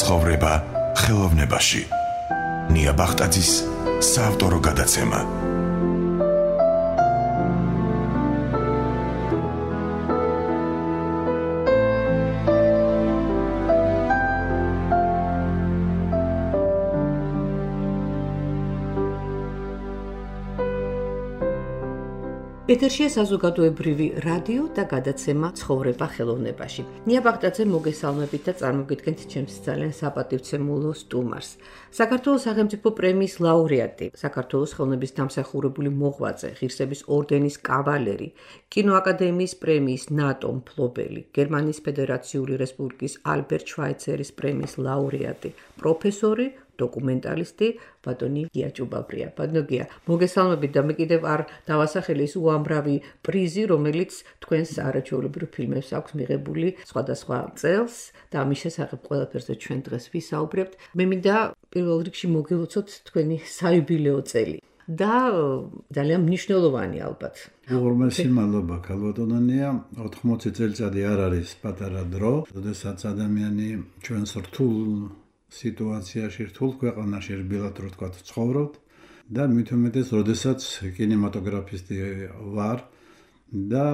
ცხოვრება ხელოვნებაში. ნია ბახტაძის საავტორო გადაცემა. ეთერშია საზოგადოებრივი რადიო და გადაცემა ცხოვრება ხელოვნებაში. ნია ბახტაძე მოგესალმებით და წარმოგიდგენთ ჩემს ძალიან საპატივცემულო სტუმარს. საქართველოს სახელმწიფო პრემიის ლაურეატი, საქართველოს ხელოვნების დამსახურებული მოღვაწე, ღირსების ორდენის კავალერი, კინოაკადემიის პრემიის ნატო მფლობელი, გერმანიის ფედერაციული რესპუბლიკის ალბერტ შვაიცერის პრემიის ლაურეატი, პროფესორი, დოკუმენტალისტი ბატონი გია ჭუბაბრია. ბატონო გია, მოგესალმებით და მე კიდევ არ დავასახელე ის უამრავი პრიზი, რომელიც თქვენს არაჩვეულებრივ ფილმებს აქვს მიღებული სხვადასხვა წელს და ამის შესახებ ყველაფერზე ჩვენ დღეს ვისაუბრებთ. მე მინდა პირველ რიგში მოგილოცოთ თქვენი საიუბილეო წელი და ძალიან მნიშვნელოვანი ალბათ. უღრმესი მადლობა ქალბატონია. 80 წელიწადი არ არის პატარა დრო, როდესაც ადამიანი ჩვენს რთულ სიტუაციაში, რთულ ქვეყანაში რბილად რო თქვა ცხოვრობთ და მით უმეტეს, როდესაც კინემატოგრაფისტი ვარ და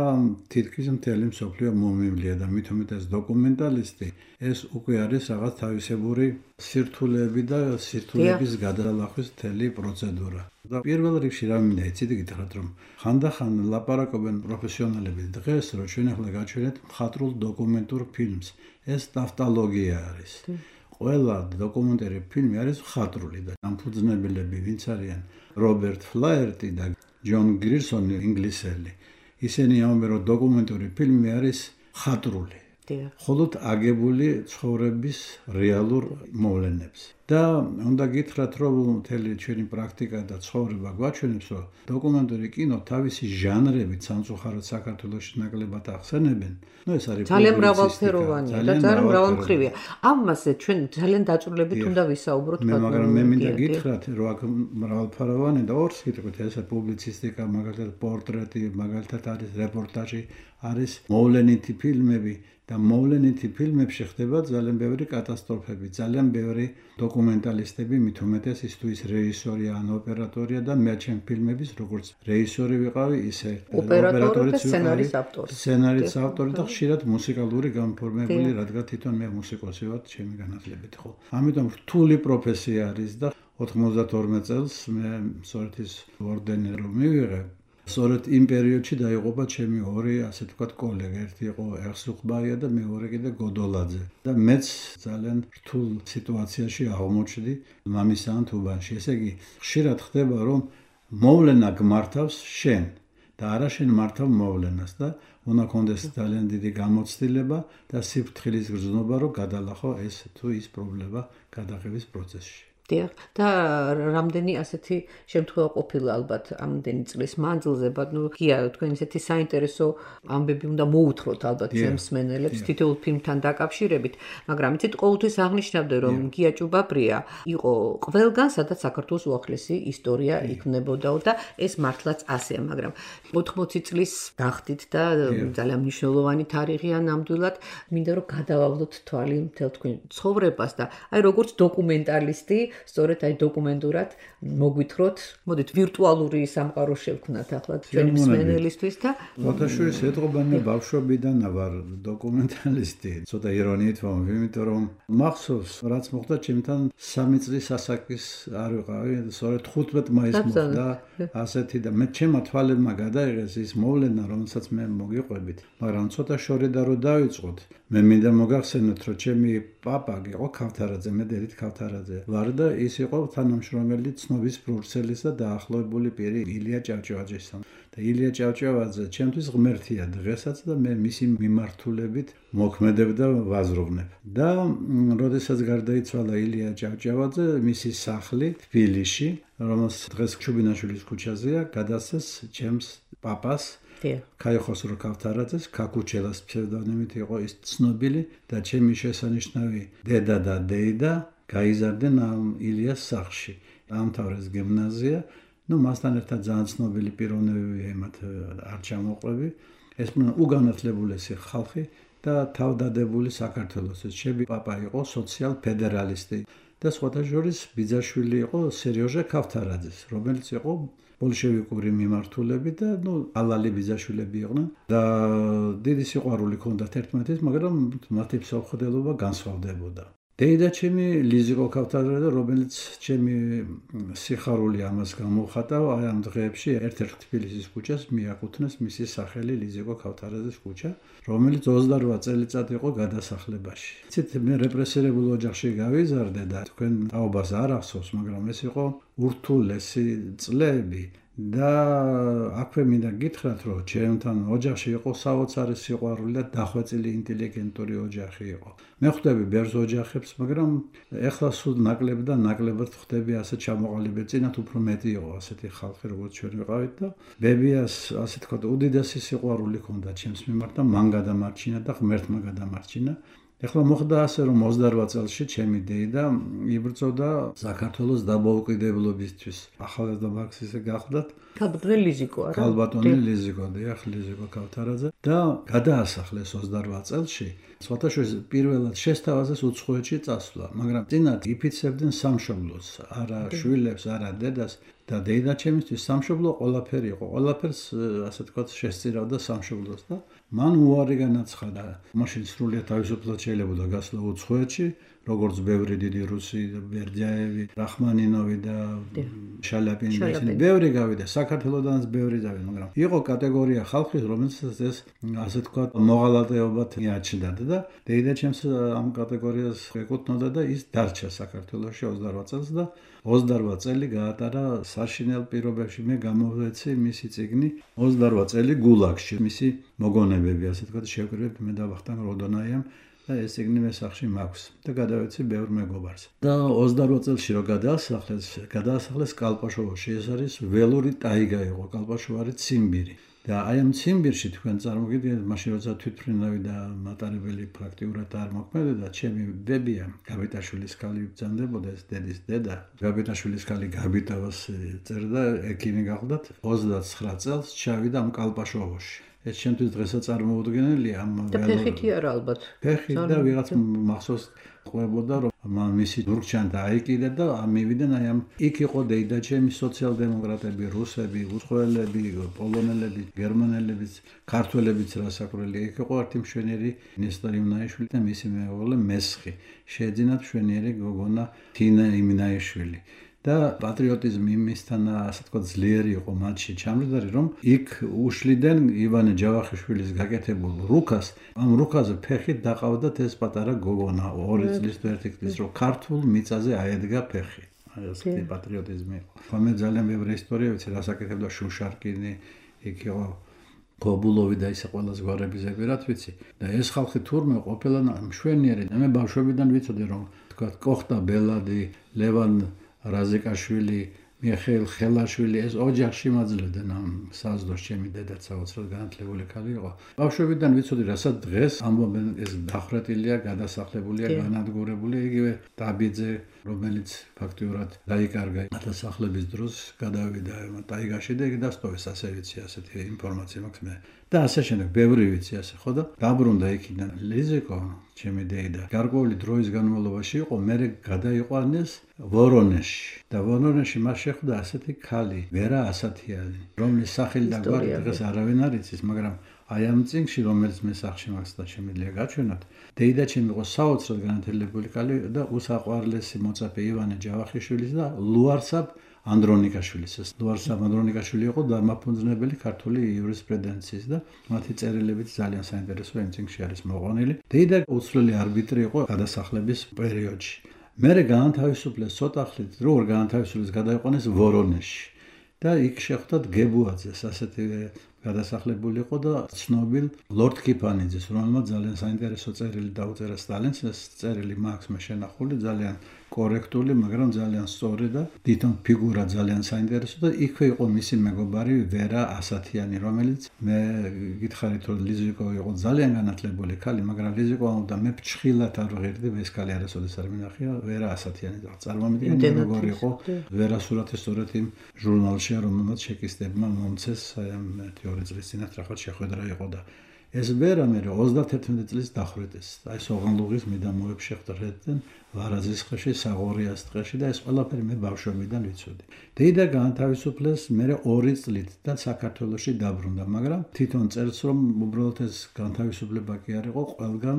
თითქმის მთელი მსოფლიო მომივლია და მით უმეტეს დოკუმენტალისტი, ეს უკვე არის რაღაც თავისებური სირთულეები და სირთულეების გადალახვის მთელი პროცედურა. და პირველ რიგში რა მინდა იცით გითხრათ, რომ ხანდახან ლაპარაკობენ პროფესიონალები დღეს, რომ ჩვენ ახლა გაჩვენეთ მხატვრულ დოკუმენტურ ფილმს. ეს ტავტოლოგია არის. ყველა დოკუმენტური ფილმი არის მხატვრული და დამფუძნებლები ვინც არიან რობერტ ფლაერტი და ჯონ გრირსონი ინგლისელი. ისინი ამბობენ, რომ დოკუმენტური ფილმი არის მხატვრული. მხოლოდ აგებული ცხოვრების რეალურ მოვლენებს. და უნდა გითხრათ, რომ მთელი ჩვენი პრაქტიკა და ცხოვრება გვაჩვენებს, რომ დოკუმენტური კინო თავისი ჟანრებით სამწუხაროდ საქართველოში ნაკლებად ახსენებენ. ეს არის ძალიან მრავალფეროვანია და ძალიან მრავალმხრივია. ამაზე ჩვენ ძალიან დაწვრილებით უნდა ვისაუბროთ. მაგრამ მე მინდა გითხრათ, რომ აქ მრავალფეროვანია და ორს გიტყვით, ეს პუბლიცისტიკა, მაგალითად პორტრეტი, მაგალითად არის რეპორტაჟი, არის მოვლენითი ფილმები. და მოვლენითი ფილმებში ხდება ძალიან ბევრი კატასტროფები, ძალიან ბევრი დოკუმენტალისტები, მით უმეტეს ის თუ ის რეჟისორია ან ოპერატორია და მე ჩემ ფილმების როგორც რეჟისორი ვიყავი, ისე ოპერატორიც ვიყავი, სცენარის ავტორი და ხშირად მუსიკალური გამფორმებელი, რადგან თვითონ მე მუსიკოსი ვარ ჩემი განათლებით, ხო. ამიტომ რთული პროფესია არის და 92 წელს მე სწორედ ის ორდენი რომ მივიღე, სწორედ იმ პერიოდში დაიღუპა ჩემი ორი, ასე ვთქვათ, კოლეგა, ერთი იყო ერსუხბაია და მეორე კიდე გოდოლაძე. და მეც ძალიან რთულ სიტუაციაში აღმოჩნდი მამისთან თუბანში. ესე იგი, ხშირად ხდება, რომ მოვლენა გმართავს შენ და არა შენ მართავ მოვლენას და უნდა კონდეს ძალიან დიდი გამოცდილება და სიფრთხილის გრძნობა, რომ გადალახო ეს თუ ის პრობლემა გადაღების პროცესში. და რამდენი ასეთი შემთხვევა ყოფილა ალბათ ამდენი წლის მანძილზე, ბატონო გია, თქვენ ესეთი საინტერესო ამბები უნდა მოუთხროთ ალბათ ჩვენ მსმენელებს თითოეულ ფილმთან დაკავშირებით, მაგრამ იცით ყოველთვის აღნიშნავდნენ, რომ გია ჭუბაბრია იყო ყველგან, სადაც საქართველოს უახლესი ისტორია იქმნებოდაო და ეს მართლაც ასეა, მაგრამ 80 წლის გახდით და ძალიან მნიშვნელოვანი თარიღია ნამდვილად, მინდა რომ გადავავლოთ თვალი მთელ თქვენ ცხოვრებას და აი როგორც დოკუმენტალისტი სწორედ აი დოკუმენტურად მოგვითხროთ, მოდით ვირტუალური სამყარო შევქმნათ ახლა ჩვენი მსმენელისთვის და მოთაშურის ეთყობანი ბავშვობიდან ვარ დოკუმენტალისტი. ცოტა ირონიით ვამბობ, იმიტომ რომ მახსოვს, რაც მოხდა ჩემთან 3 წლის ასაკის არ ვიყავი, სწორედ 15 მაისს მოხდა ასეთი და მე ჩემმა თვალებმა გადაიღეს ის მოვლენა, რომელსაც მე მოგიყვებით, მაგრამ ცოტა შორედა რო დავიწყოთ. მე მინდა მოგახსენოთ, რომ ჩემი პაპა იყო ქავთარაძე, მე დედით ქავთარაძე ვარ და ის იყო თანამშრომელი ცნობის ბრუქსელის და დაახლოებული პირი ილია ჭავჭავაძესთან. და ილია ჭავჭავაძე ჩემთვის ღმერთია დღესაც და მე მისი მიმართულებით მოქმედებ და ვაზროვნებ. და როდესაც გარდაიცვალა ილია ჭავჭავაძე, მისი სახლი თბილისში, რომელსაც დღეს ჩუბინაშვილის ქუჩაზეა, გადასცეს ჩემს პაპას ქაიხოსრო ქავთარაძეს, ქაკუჩელას ფსევდონიმით იყო ის ცნობილი და ჩემი შესანიშნავი დედა და დეიდა გაიზარდნენ ამ ილიას სახლში. დაამთავრეს გიმნაზია, მასთან ერთად ძალიან ცნობილი პიროვნებები ემათ არ ჩამოყვები. ეს უგანათლებულესი ხალხი და თავდადებული საქართველოსის. ჩემი პაპა იყო სოციალ-ფედერალისტი და სხვათა შორის ბიძაშვილი იყო სერიოჟე ქავთარაძის, რომელიც იყო ბოლშევიკური მიმართულებით და ალალი ბიძაშვილები იყვნენ და დიდი სიყვარული ჰქონდათ ერთმანეთის, მაგრამ მათი მსოფლმხედველობა განსხვავდებოდა. დეიდა ჩემი ლიზიკო ქავთარაძე, რომელიც ჩემი სიხარული ამას გამოხატა, აი ამ დღეებში ერთ-ერთ თბილისის ქუჩას მიაკუთვნეს მისი სახელი ლიზიკო ქავთარაძის ქუჩა, რომელიც 28 წელიწად იყო გადასახლებაში. იცით, მე რეპრესირებულ ოჯახში გავიზარდე და თქვენ თაობას არ ახსოვს, მაგრამ ეს იყო ურთულესი წლები. და აქვე მინდა გითხრათ, რომ ჩემთან ოჯახში იყო საოცარი სიყვარული და დახვეწილი ინტელიგენტური ოჯახი იყო. მე ხვდები ბევრ ოჯახებს, მაგრამ ეხლა სულ ნაკლებ და ნაკლებად ხვდები ასე ჩამოყალიბებული, წინათ უფრო მეტი იყო ასეთი ხალხი, როგორც ჩვენ ვიყავით და ბებიას ასე თქვა უდიდესი სიყვარული ჰქონდა ჩემს მიმართ და მან გადამარჩინა და ღმერთმა გადამარჩინა. ეხლა მოხდა ასე, რომ 28 წელში ჩემი დეიდა იბრძოდა საქართველოს დამოუკიდებლობისთვის. ახალგაზრდა მარქსისტი გახლდათ. ქალბატონი ლიზიკო არა? ქალბატონი ლიზიკო, დიახ, ლიზიკო ქავთარაძე და გადაასახლეს 28 წელში. სხვათა შორის პირველად შესთავაზეს უცხოეთში წასვლა, მაგრამ წინათ იფიცებდნენ სამშობლოს, არა შვილებს, არა დედას და დეიდა ჩემისთვის სამშობლო ყველაფერი იყო. ყველაფერს ასე თქვა შესწირავდა სამშობლოს და მან უარი განაცხადა. მაშინ სრულიად თავისუფლად შეიძლება გასვლა უცხოეთში, როგორც ბევრი დიდი რუსი, ბერდიაევი, რახმანინოვი და შალიაპინი და ისინი ბევრი გავიდა, საქართველოდანაც ბევრი დავიდა, მაგრამ იყო კატეგორია ხალხის, რომელსაც ეს ასე თქვა მოღალატეობად მიაჩნდათ და დეიდა ჩემს ამ კატეგორიას ეკუთვნოდა და ის დარჩა საქართველოში 28 წელს და 28 წელი გაატარა საშინელ პირობებში. მე გამოვეცი მისი წიგნი 28 წელი გულაგში, მისი მოგონებები, ასე თქვა შევკრიბეთ მე და ვახტანგ როდონაიამ და ეს წიგნი მე სახში მაქვს და გადავეცი ბევრ მეგობარს. და 28 წელში რო გადაასახლეს კალპაშოვოში. ეს არის ველური ტაიგა იყო, კალპაშოვი არის ციმბირი. და აი ამ ციმბირში თქვენ წარმოგიდგენთ, მაშინ როცა თვითმფრინავი და მატარებელი პრაქტიკულად არ მოქმედებდა, ჩემი ბებია გაბიტაშვილის ქალი ბრძანდებოდა, ეს დედის დედა. გაბიტაშვილის ქალი გაბიტავას წერდა, ექიმი გახლდათ, 29 წელს ჩავიდა ამ კალპაშოვოში. ეს ჩემთვის დღესაც წარმოუდგენელია ამ და ფეხითი არა ალბათ. ფეხით და ვიღაც მახსოვს ყვებოდა, რომ მისი დურგჩან დაიკიდა და მივიდნენ აი ამ იქ იყო დეიდა ჩემი სოციალ-დემოკრატები, რუსები, უცხოელები, პოლონელები, გერმანელები, ქართველებიც რასაკვირველია. იქ იყო ერთი მშვენიერი ნესტორ იმნაიშვილი და მისი მეუღლე მესხი. შეეძინათ მშვენიერი გოგონა თინა იმნაიშვილი. და პატრიოტიზმი იმისთან ასე თქვა ძლიერი იყო მათში ჩამჯდარი, რომ იქ უშლიდნენ ივანე ჯავახიშვილის გაკეთებულ რუკას. ამ რუკაზე ფეხით დაყავდათ ეს პატარა გოგონა 2 წლის თუ 1 წლის, რომ ქართულ მიწაზე აედგა ფეხი. აი ასეთი პატრიოტიზმი იყო. მე ძალიან ბევრი ისტორია ვიცი, რას აკეთებდა შუშარკინი, იქ იყო კობულოვი და ისე ყველა ზღვარების ზეგვერად ვიცი. და ეს ხალხი თურმე ყოფილა მშვენიერი. მე ბავშვობიდან ვიცოდი, რომ თქვა კოხტა ბელადი, ლევან რაზიკაშვილი, მიხეილ ხელაშვილი, ეს ოჯახში მაძლევდნენ ამ საზდოს. ჩემი დედა საოცრად განათლებული ქალი იყო. ბავშვობიდან ვიცოდი, რასაც დღეს ამბობენ, ეს დახრეტილია, გადასახლებულია, განადგურებულია. იგივე დაბიძე, რომელიც ფაქტიურად დაიკარგა გადასახლების დროს, გადავიდა ტაიგაში და იქ დასტოვეს, ასე ვიცი, ასეთი ინფორმაცია მაქვს მე. და ასე შემდეგ, ბევრი ვიცი ასე, ხო და დაბრუნდა იქიდან ლიზიკო, ჩემი დეიდა. გარკვეული დროის განმავლობაში იყო, მერე გადაიყვანეს ვორონეჟში. და ვორონეჟში მას შეხვდა ასეთი ქალი, ვერა ასათიანი, რომლის სახელი და გვარი დღეს არავინ არ იცის, მაგრამ აი ამ წიგნში, რომელიც მე სახში მაქვს და შემიძლია გაჩვენოთ, დეიდა ჩემი იყო საოცრად განათლებული ქალი და უსაყვარლესი მოწაფე ივანე ჯავახიშვილის და ლუარსაბ ანდრონიკაშვილის. ეს ლუარსაბ ანდრონიკაშვილი იყო დამაფუძნებელი ქართული იურისპრუდენციის და მათი წერილებიც ძალიან საინტერესო იმ წიგნში არის მოყვანილი. დეიდა უცვლელი არბიტრი იყო გადასახლების პერიოდში. მერე გაანთავისუფლეს ცოტა ხნით, როგორ გაანთავისუფლეს, გადაიყვანეს ვორონეჟში. და იქ შეხვდათ გებუაძეს, ასეთი გადასახლებული იყო და ცნობილ ლორდ კიფანიძეს, რომელმაც ძალიან საინტერესო წერილი დაუწერა სტალინს. ეს წერილი მაქვს მე შენახული, ძალიან კორექტული, მაგრამ ძალიან სწორი და თვითონ ფიგურა ძალიან საინტერესო და იქვე იყო მისი მეგობარი ვერა ასათიანი, რომელიც მე გითხარით, რომ ლიზიკო იყო ძალიან განათლებული ქალი, მაგრამ ლიზიკო ამბობდა, მე ფჩხილად არ ვღირდი, ეს ქალი არასოდეს არ მინახია, ვერა ასათიანი. წარმოვიდგინე როგორ იყო ვერა სურათი სწორედ იმ ჟურნალში, რომელმაც ჩეკისტებმა მომცეს, აი ამ 2 წლის წინათ რაღაც შეხვედრა იყო და ეს ვერა მე 31 წლის დახვრეტეს. აი სოღანლუღის მიდამოებში შეხვდნენ ვარაზის ხეში, საღორიას ტყეში და ეს ყველაფერი მე ბავშვობიდან ვიცოდი. დეიდა განთავისუფლეს მე 2 წლით და საქართველოში დაბრუნდა, მაგრამ თვითონ წერს რომ უბრალოდ ეს განთავისუფლება კი არ იყო, ყველგან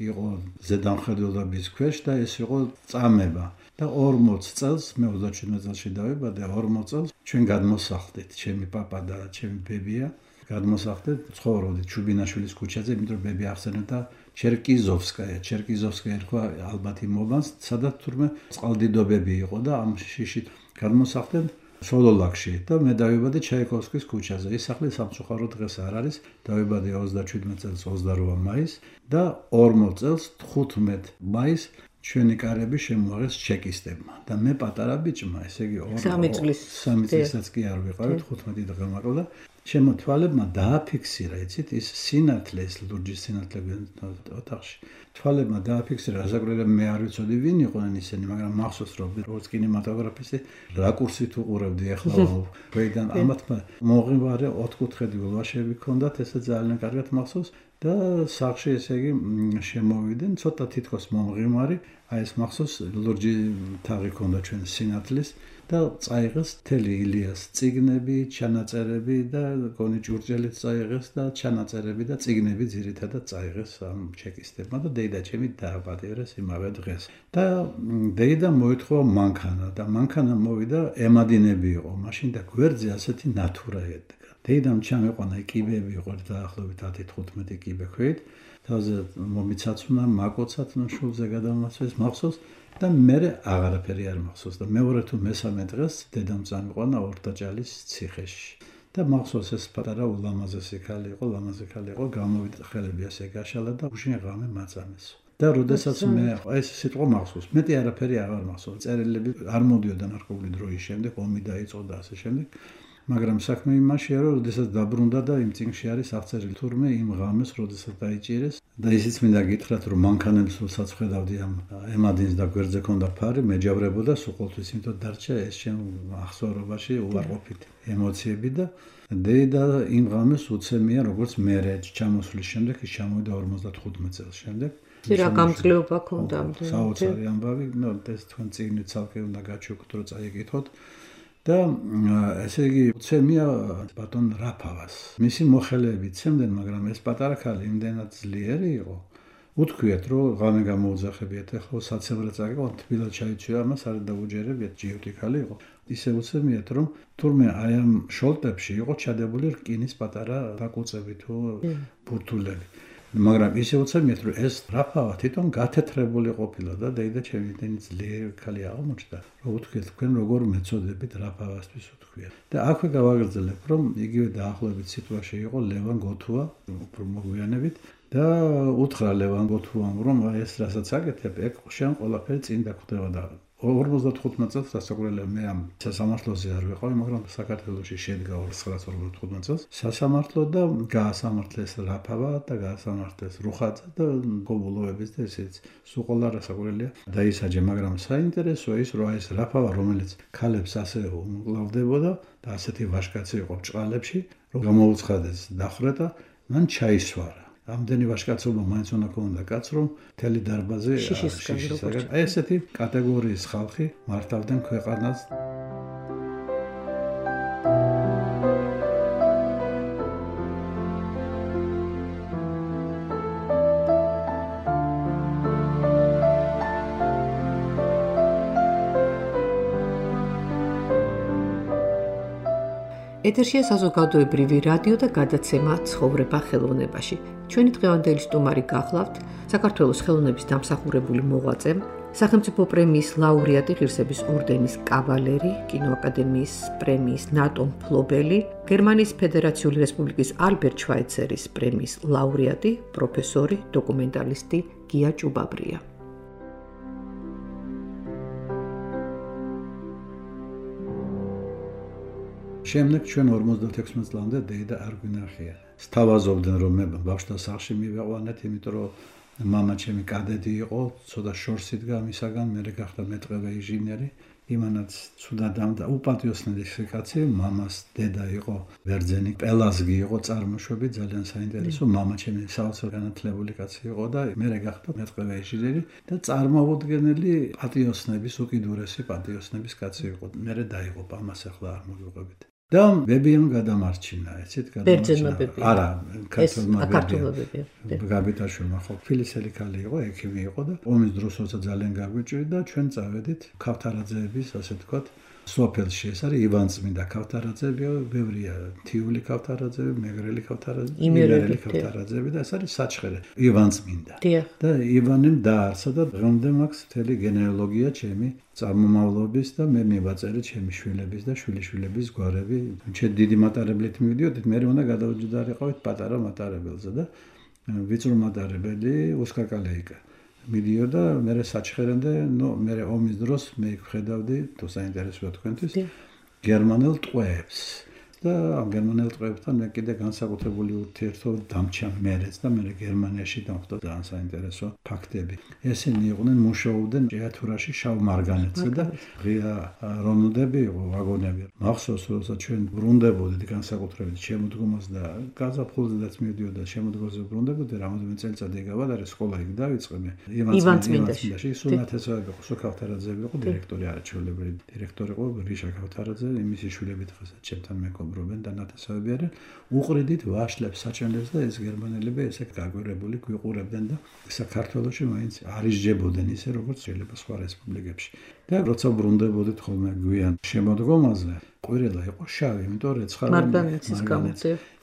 იყო ზედამხედველობის ქვეშ და ეს იყო წამება. და 40 წელს მე 37 წელში დავიბადე, 40 წელს ჩვენ გადმოსახლდით, ჩემი პაპა და ჩემი ბებია გადმოსახლდით, ცხოვრობდით ჩუბინაშვილის ქუჩაზე, იმიტომ რომ ბები ახსენებდა ჩერკიზოვსკაია ერქვა ალბათ იმ მომანს, სადაც თურმე წყალდიდობები იყო და ამ შიშით გადმოსახლდით სოლოლაკში და მე დავიბადე ჩაიკოვსკის ქუჩაზე. ის სახლი სამწუხარო დღეს არ არის, დავიბადე 37 წელს 28 მაისს და 40 წელს 15 მაისს ჩვენი კარები შემოაღეს ჩეკისტებმა და მე პატარა ბიჭმა, ესე იგი 3 წლისაც კი არ ვიყავით, 15 დღე მაყოლა. ჩემო თვალებმა დააფიქსირა, იცით, ის სინათლე, ეს ლურჯის სინათლე ოთახში. თვალებმა დააფიქსირა, რასაკვირველია მე არ ვიცოდი ვინ იყვნენ ისინი, მაგრამ მახსოვს რომ როგორც კინემატოგრაფისტი რაკურსით უყურებდი ახლა ვეიდან ამათმა მოღიმარე 4 კუთხედი ულვაშები ჰქონდათ, ესე ძალიან კარგად მახსოვს და სახში ესე იგი შემოვიდნენ, ცოტა თითქოს მომღიმარი, აი ეს მახსოვს ლურჯი თაღი ჰქონდა ჩვენ სინათლის და წაიღეს მთელი ილიას წიგნები, ჩანაწერები და გონი ჭურჭელიც წაიღეს და ჩანაწერები და წიგნები ძირითადად წაიღეს ამ ჩეკისტებმა და დეიდა ჩემი დააპატიურეს იმავე დღეს. და დეიდა მოითხოვა მანქანა და მანქანა მოვიდა ემადინები იყო, მაშინ და გვერდზე ასეთი ნათურა ედგა. დეიდამ ჩამეყვანა კიბეები იყო დაახლოებით 10-15 კიბე ქვით, თავზე მომიცაცუნა, მაკოცათნა შულზე გადამასვეს მახსოვს და მე აღარაფერი არ მახსოვს და მეორე თუ მესამე დღეს დედამ წამიყვანა ორდაჭალის ციხეში და მახსოვს ეს პატარა ულამაზესი ქალი იყო, გამოვიდა ხელები ასე გაშალა და უშინ ღამე მაწამეს. და როდესაც მე ეს სიტყვა მახსოვს, მეტი არაფერი აღარ მახსოვს, წერილები არ მოდიოდა ნარკვეული დროის შემდეგ, ომი დაიწყო და ასე შემდეგ. მაგრამ საქმე იმაშია, რომ როდესაც დაბრუნდა და იმ წიგნში არის აღწერილი თურმე იმ ღამეს, როდესაც დაიჭირეს და ისიც მინდა გითხრათ, რომ მანქანებს როდესაც ხედავდი ამ ემადინს და გვერდზე ქონდა ფარი, მეჯავრებოდა სულ ყოველთვის, იმიტომ დარჩა ეს ჩემ ახსოვარობაში უარყოფითი ემოციები და დეიდა იმ ღამეს უცემია, როგორც მე ჩამოსვლის შემდეგ, ის ჩამოვიდა 55 წელს შემდეგ. რა გამძლეობა ქონდა ამდენ? საოცარი ამბავი, ეს თქვენ წიგნით ცალკე უნდა გაჩვენოთ, რომ წაიკითხოთ. და ესე იგი უცემია ბატონ რაფავას. მისი მოხელეები ცემდნენ, მაგრამ ეს პატარა ქალი იმდენად ძლიერი იყო. უთქვიათ, რომ ღამე გამოუძახებიათ, ახლა საცებრად წაიღო, თბილად ჩაიცვია, ამას არ დაუჯერებიათ, ჯიუტი ქალი იყო. ისე უცემიათ, რომ თურმე აი ამ შოლტებში იყო ჩადებული რკინის პატარა დაკუწები თუ ბურთულები. მაგრამ ისე უცემიათ, რომ ეს რაფავა თვითონ გათეთრებული ყოფილა და დეიდა ჩემი იმდენი ძლიერი ქალი აღმოჩნდა, რომ უთქვიათ, თქვენ როგორ მეწოდებით რაფავასთვის უთქვიათ. და აქვე გავაგრძელებ, რომ იგივე დაახლოებით სიტუაცია იყო ლევან გოთუა, უფრო მოგვიანებით და უთხრა ლევან გოთუამ, რომ აი ეს რასაც აკეთებ, ეგ შენ ყველაფერი წინ დაგხვდება და 55 წელს რასაკვირველია მე ამ სასამართლოზე არ ვიყავი, მაგრამ საქართველოში შედგა 1955 წელს სასამართლო და გაასამართლეს რაფავა და გაასამართლეს რუხაძე და გობულოების და ესეც სულ ყველა რასაკვირველია დაისაჯა, მაგრამ საინტერესოა ის, რომ ეს რაფავა, რომელიც ქალებს ასე უმკლავდებოდა და ასეთი ვაჟკაცი იყო ჭყალებში, რომ გამოუცხადეს დახვრეტა, მან ჩაისვარა. ამდენი ვაჟკაცობა მაინც უნდა ქონდა კაც, რომ მთელი დარბაზი შიშისაგან. აი ესეთი კატეგორიის ხალხი მართავდნენ ქვეყანას. ეთერშია საზოგადოებრივი რადიო და გადაცემა ცხოვრება ხელოვნებაში. ჩვენი დღევანდელი სტუმარი გახლავთ საქართველოს ხელოვნების დამსახურებული მოღვაწე, სახელმწიფო პრემიის ლაურეატი, ღირსების ორდენის კავალერი, კინოაკადემიის პრემიის ნატო მფლობელი, გერმანიის ფედერაციული რესპუბლიკის ალბერტ შვაიცერის პრემიის ლაურეატი, პროფესორი, დოკუმენტალისტი გია ჭუბაბრია. შემდეგ ჩვენ 56 წლამდე დეიდა არ გვინახია. სთავაზობდნენ, რომ მე ბავშვთა სახლში მივეყვანეთ, იმიტომ რომ მამა ჩემი კადეტი იყო, ცოტა შორს იდგა მისაგან, მე გახდა მეტყევე ინჟინერი. იმანაც ცუდად და უპატიოსნელი კაცი, მამას დედა იყო ბერძენი, პელაზგი იყო წარმოშვები, ძალიან საინტერესო, მამა ჩემი საოცარ განათლებული კაცი იყო და მე გახდა მეტყველე ინჟინერი და წარმოუდგენელი პატიოსნების, უკიდურესი პატიოსნების კაცი იყო. მე დაიღო ამას ახლა არ მოგიყვებით. და ბებიამ გადამარჩინა, ეცეთ გადამარჩინა. არა, ქართულმა ბებიამ. გაბიტაშვილმა ხო ფილისელი ქალი იყო, ექიმი იყო და ომის დროს როცა ძალიან გაგვიჭირდა და ჩვენ წავედით ქავთარაძეების, ასე თქვათ, სოფელში. ეს არის ივანწმინდა ქავთარაძეები, ბევრია თიული ქავთარაძეები, მეგრელი ქავთარაძეები, იმერელი ქავთარაძეები და ეს არის საჩხერე ივანწმინდა. და ივანემ დაარსა და დღემდე მაქვს მთელი გენეალოგია ჩემი წარმომავლობის და მე მივაწერი ჩემი შვილების და შვილიშვილების გვარები. ჩვენ დიდი მატარებლით მივიდიოდით, მე უნდა გადავჯდარიყავით პატარა მატარებელზე და ვიწრო მატარებელი უსკაკალეიკა. მიდიოდა მე საჩხერემდე, მე ომის დროს მე ხედავდი, თუ საინტერესოა თქვენთვის, გერმანელ ტყვეებს. და ამ გერმანელ ტყვეებთან მე კიდე განსაკუთრებული ურთიერთობა დამჭა მერეც და მე გერმანიაში დამხვდა ძალიან საინტერესო ფაქტები. ესენი იყვნენ მუშაობდნენ ჭიათურაში შავ მარგანეთზე და ღია რონუდები იყო ვაგონები. მახსოვს როცა ჩვენ ბრუნდებოდით განსაკუთრებით შემოდგომას და გაზაფხულზედაც მივიდიოდა შემოდგომაზე ბრუნდებოდი, რამოდენიმე წელიწადი გავადარე, სკოლა იქ დავიწყე მე. ივანწმინდაში სუნათესავები იყო, სოქავთარაძეები იყო დირექტორი, არაჩვეულებრივი დირექტორი იყო რიშა ქავთარაძე, იმისი შვილები დღესაც ჩემთან მეგობრობენ და ნათესავები არიან. უყრიდით ვაშლებს, საჭმელებს და ეს გერმანელები ესე გაგვირებული გვიყურებდნენ და საქართველოში მაინც არ ისჯებოდნენ ისე როგორც შეიძლება სხვა რესპუბლიკებში. და როცა ბრუნდებოდით ხოლმე გვიან შემოდგომაზე, ყვირილა იყო შავი, იმიტომ რეცხავი მარგანეცის გამო.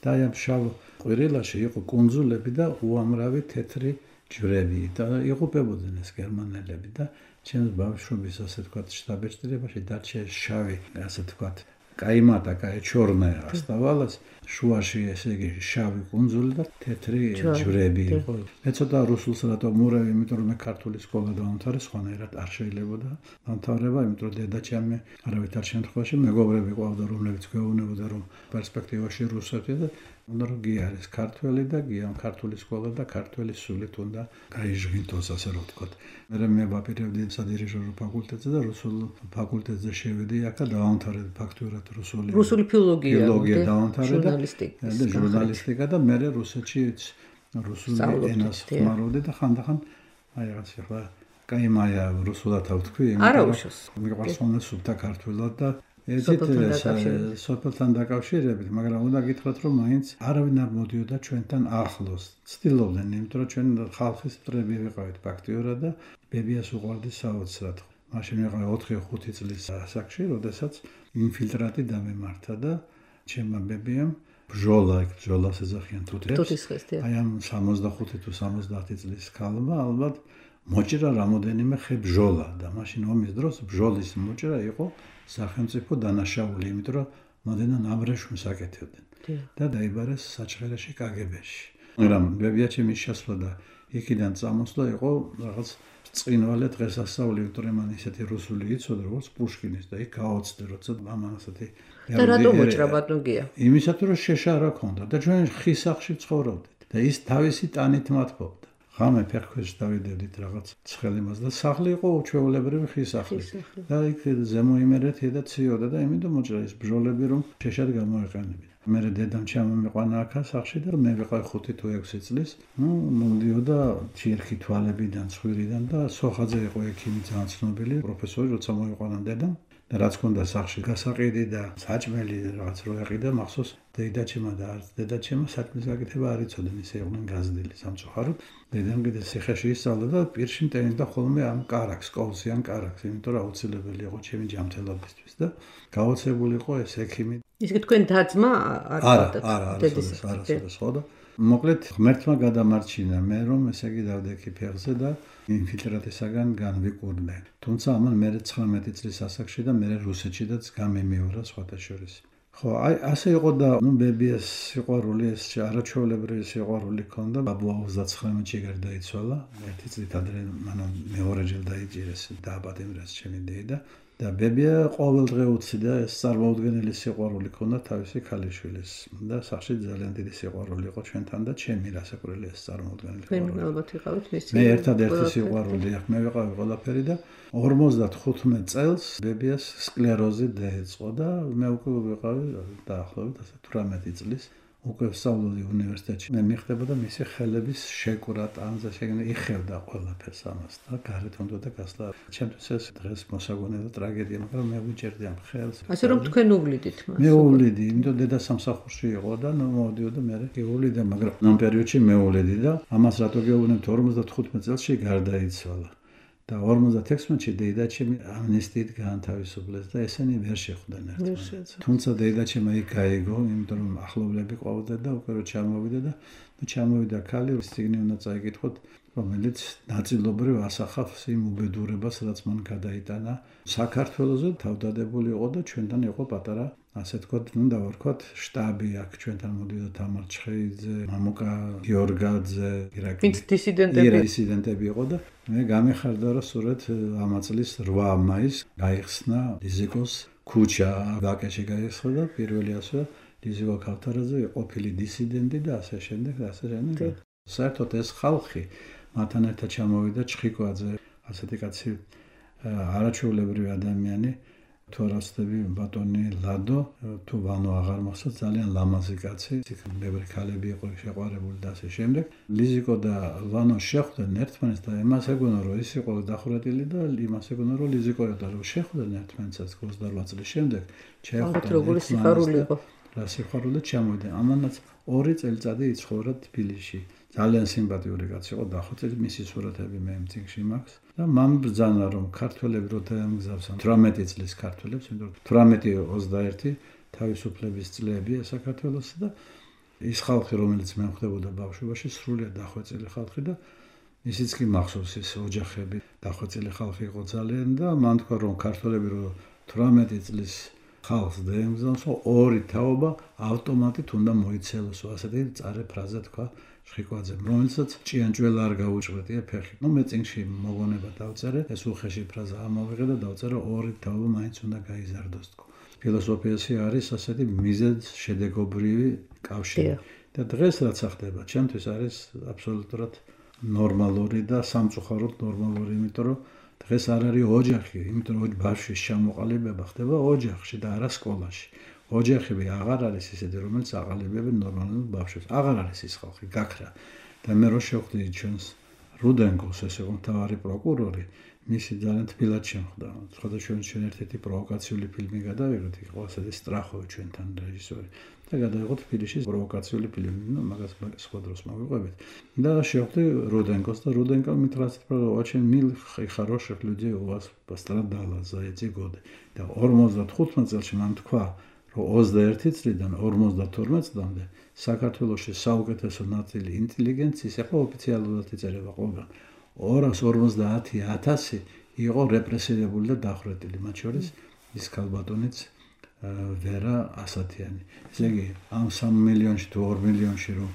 და ამ შავ ყვირილაში იყო კუნძულები და უამრავი თეთრი ჯვრები და იღუპებოდნენ ეს გერმანელები და ჩემს ბავშვობის ასე თქვათ შტაბ-ბეჭდებაში დარჩა შავი ასე თქვათ კაიმატა, ჩორნაა ასტავალას, შუაში ესე იგი შავი კუნძული და თეთრი ჯვრები იყო. მე ცოტა რუსულს რატომ მურევი, იმიტომ რომ მე ქართული სკოლა დავამთავრე, სხვანაირად არ შეიძლებოდა დამთავრება, იმიტომ რომ დედაჩემი არავითარ შემთხვევაში მეგობრები ყავდა, რომლებიც გვეუბნებოდა რომ პერსპექტივაში რუსეთი და უნდა რომ გიარეს ქართველი და გიამ ქართული სკოლა და ქართველი სულით უნდა გაიჟღინტოს ასე რომ ვთქვათ. მე ვაპირებდი სადირიჟორო ფაკულტეტზე და რუსულ ფაკულტეტზე შევედი აქ და დავამთავრე ფაქტურად რუსული ფილოლოგია დავამთავრე და ჟურნალისტიკა და მე რუსეთში რუსული ენას ხმარობდი და ხანდახან აი რაღაც ახლა კაიმაია რუსულად ავთქვი, იმიტომ რომ მიყვარს ხოლმე სუფთა ქართულად და სოფელთან დაკავშირებით, მაგრამ უნდა გითხრათ, რომ მაინც არავინ არ მოდიოდა ჩვენთან ახლოს. ცდილობდნენ, იმიტომ რომ ჩვენ ხალხის მტრები ვიყავით ფაქტიურად და ბებიას უყვარდი საოცრად. მაშინ ვიყავი 4-5 წლის ასაკში, როდესაც ინფილტრატი დამემართა და ჩემმა ბებიამ ბჟოლას ეძახიან თუთის ხეს. აი ამ 65 თუ 70 წლის ქალმა ალბათ მოჭრა რამოდენიმე ხე ბჟოლა და მაშინ ომის დროს ბჟოლის მოჭრა იყო სახელმწიფო დანაშაული, იმიტომ რომ მოდენა აბრეშუმს აკეთებდნენ და დაიბარეს საჩხერეში კგბ-ში. მაგრამ ბებია ჩემი შესვლა და იქიდან წამოსვლა იყო რაღაც წინვალე დღესასწაული, იმიტომ რომ მან ისეთი რუსული იცოდა, როგორც პუშკინის და იქ გაოცდე, როცა მამან ასეთი და რატომ მოჭრა ბატონგია? იმისათვის რომ შეშარა ქონდა და ჩვენ ხის სახლში ცხოვრობდით და ის თავისი ტანით მათბობდა. ღამე ფეხქვეშ დავიდებდით რაღაც ცხელიმას და სახლი იყო უჩვეულებრივი ხის სახლი. და იქ ზემოიმერეთი და ციოდა და იმიტომ მოჭრა ის ბჟოლები რომ შეშად გამოეყენებინა. მე დედამ ჩამომიყვანა აქ სახლში და მე ვიყავი 5 თუ 6 წლის. მომდიოდა ჩირხი თვალებიდან, ცხვირიდან და სოხაძე იყო ექიმი ძალიან ცნობილი პროფესორი, როცა მოიყვანა დედამ. და რაც ქონდა სახლში გასაყიდი და საჭმელი რაღაც რო ეყიდა, მახსოვს დედაჩემა და არც დედაჩემა საჭმლის გაკეთება არ იცოდნენ, ისე იყვნენ გაზრდილი სამწუხაროდ. დედამ კიდე ციხეში ისწავლა და პირში მტენდა ხოლმე ამ კარაქს, კოლსიან კარაქს, იმიტომ რომ აუცილებელი იყო ჩემი ჯანმრთელობისთვის და გაოცებული იყო ეს ექიმი. ისე თქვენ დაძმა არ ხარდათ დედის ხო და მოკლედ ღმერთმა გადამარჩინა მე რომ ესე იგი დავდექი ფეხზე და ინფილტრატისაგან განვიკურნე. თუმცა ამან მე 19 წლის ასაკში და მე რუსეთშიდაც გამემეორა სხვათა შორის. ხო, აი ასე იყო და ბებიას სიყვარული ეს არაჩვეულებრივი სიყვარული ქონდა. ბაბუა 39-ში გარდაიცვალა. ერთი წლით ადრე მანამ მეორეჯერ დაიჭირეს დააპატიმრეს ჩემი დედა. და ბებია ყოველდღე უციდა ეს წარმოუდგენელი სიყვარული ქონდა თავისი ქალიშვილის და სახში ძალიან დიდი სიყვარული იყო ჩვენთან და ჩემი რასაკვირველი ეს წარმოუდგენელი სიყვარული. ალბათ იყავით მისი. მე ერთადერთი სიყვარული აქ მე ვიყავი ყველაფერი და 55 წელს ბებიას სკლეროზი დაეწყო და მე უკვე ვიყავი დაახლოებით 18 წლის. უკვე ვსწავლობდი უნივერსიტეტში. მე მიხდებოდა მისი ხელების შეკვრა, ტანზე შეგნა, იხევდა ყველაფერს ამას და გარეთ უნდა გასვლა. ჩემთვის ეს დღეს მოსაგონე და ტრაგედია, მაგრამ მე ვიჭერდი ამ ხელს. ასე რომ თქვენ უვლიდით მას. მე უვლიდი, იმიტომ დედა სამსახურში იყო და მოვდიოდა მე გეუვლიდა, მაგრამ ამ პერიოდში მე უვლიდი და ამას რატო გეუბნებთ 55 წელში გარდაიცვალა. და 56-ში დედაჩემი ამნისტიით გაანთავისუფლეს და ესენი ვერ შეხვდნენ ერთმანეთს. თუმცა დედაჩემი იქ გაიგო, იმიტომ რომ ახლობლები ყვავდა და უკვე რო ჩამოვიდა და ჩამოვიდა ქალი, ციგნი უნდა წაიკითხოთ, რომელიც ნაწილობრივ ასახავს იმ უბედურებას, რაც მან გადაიტანა საქართველოზე თავდადებული იყო და ჩვენთან იყო პატარა ასე თქვათ, დავარქვათ შტაბი აქ ჩვენთან მოდიოდა თამარ ჩხეიძე, მამუკა გიორგაძე, ვინც დისიდენტები იყო და მე გამიხარდა რომ სწორედ ამ წლის 8 მაისს გაიხსნა ლიზიკოს ქუჩა ვაკეში გაიხსნა და პირველი ასე ლიზიკო ქავთარაძე ყოფილი დისიდენტი და ასე შემდეგ და ასე შემდეგ. საერთოდ ეს ხალხი მათთან ერთად ჩამოვიდა ჩხიკვაძე, ასეთი კაცი არაჩვეულებრივი ადამიანი თუ არასდები ბატონი ლადო თუ ვანო აღარ მოხსა ძალიან ლამაზი კაცი ბევრი ქალები იყო შეყვარებული და ასე შემდეგ ლიზიკო და ვანო შეხვდნენ ერთმანეთს და იმას ეგონა რომ ის იყო დახურატილი და იმას ეგონა რომ ლიზიკო და რომ შეხვდნენ ერთმანეთს 28 წლის შემდეგ შეხვდნენ როგორი სიხარული იყო რა სიხარული ჩამოვიდა ამანაც 2 წელიწადი იცხოვრა თბილისში ძალიან სიმპათიური კაცი იყო დახვეწილი მისი სურათები მე მწიგში მაქვს და მან ბრძანა რომ ქართველები რო დაემგზავრონ 18 წლის ქართველებს, იმიტომ რომ 18-21 თავისუფლების წლებია საქართველოს და ის ხალხი რომელიც მე ხვდებოდა ბავშვობაში სრულიად დახვეწილი ხალხი და ისიც კი მახსოვს ის ოჯახები დახვეწილი ხალხი იყო ძალიან და მან თქვა რომ ქართველები რო 18 წლის ხალხს დაემგზავროს ორი თაობა ავტომატით უნდა მოიცელოს ასეთი წარე ფრაზა თქვა ხვიკვაძემ, რომელსაც ჭიანჭველა არ გაუჭვრეტია ფეხი. მე წინში მოგონება დავწერე, ეს უხეში ფრაზა ამოვიღე და დავწერე ორი თაობა მაინც უნდა გაიზარდოს თქო. ფილოსოფიაში არის ასეთი მიზეზ შედეგობრივი კავშირი. და დღეს რაც ხდება, ჩემთვის არის აბსოლუტურად ნორმალური და სამწუხაროდ ნორმალური, იმიტომ რომ დღეს არ არის ოჯახი, იმიტომ რომ ბავშვის ჩამოყალიბება ხდება ოჯახში და არა სკოლაში. ოჯახები აღარ არის ისეთი, რომელიც აყალიბებენ ნორმალურ ბავშვებს. აღარ არის ის ხალხი, გაქრა. და მე რო შევხვდი ჩვენს რუდენკოს, ეს იყო მთავარი პროკურორი, მისი ძალიან თბილად შემხვდა. სხვადასხვა ჩვენ ერთ-ერთი პროვოკაციული ფილმი გადავიღეთ, იყო ასეთი სტრახოვი ჩვენთან რეჟისორი. და გადავიღოთ თბილისში პროვოკაციული ფილმი, მაგას სხვა დროს მოვიყვებით. და შევხვდი რუდენკოს და რუდენკო მითხრას, რომ очень мил и хороших людей у вас пострадало за эти годы. და 55 წელში მან თქვა 21 წლიდან 52 წლამდე საქართველოში საუკეთესო ნაწილი ინტელიგენციის ახლა ოფიციალურად იწერება ყველგან 250,000 იყო რეპრესირებული და დახვრეტილი მათ შორის ის ქალბატონიც ვერა ასათიანი ესე იგი ამ 3 მილიონში თუ 2 მილიონში რომ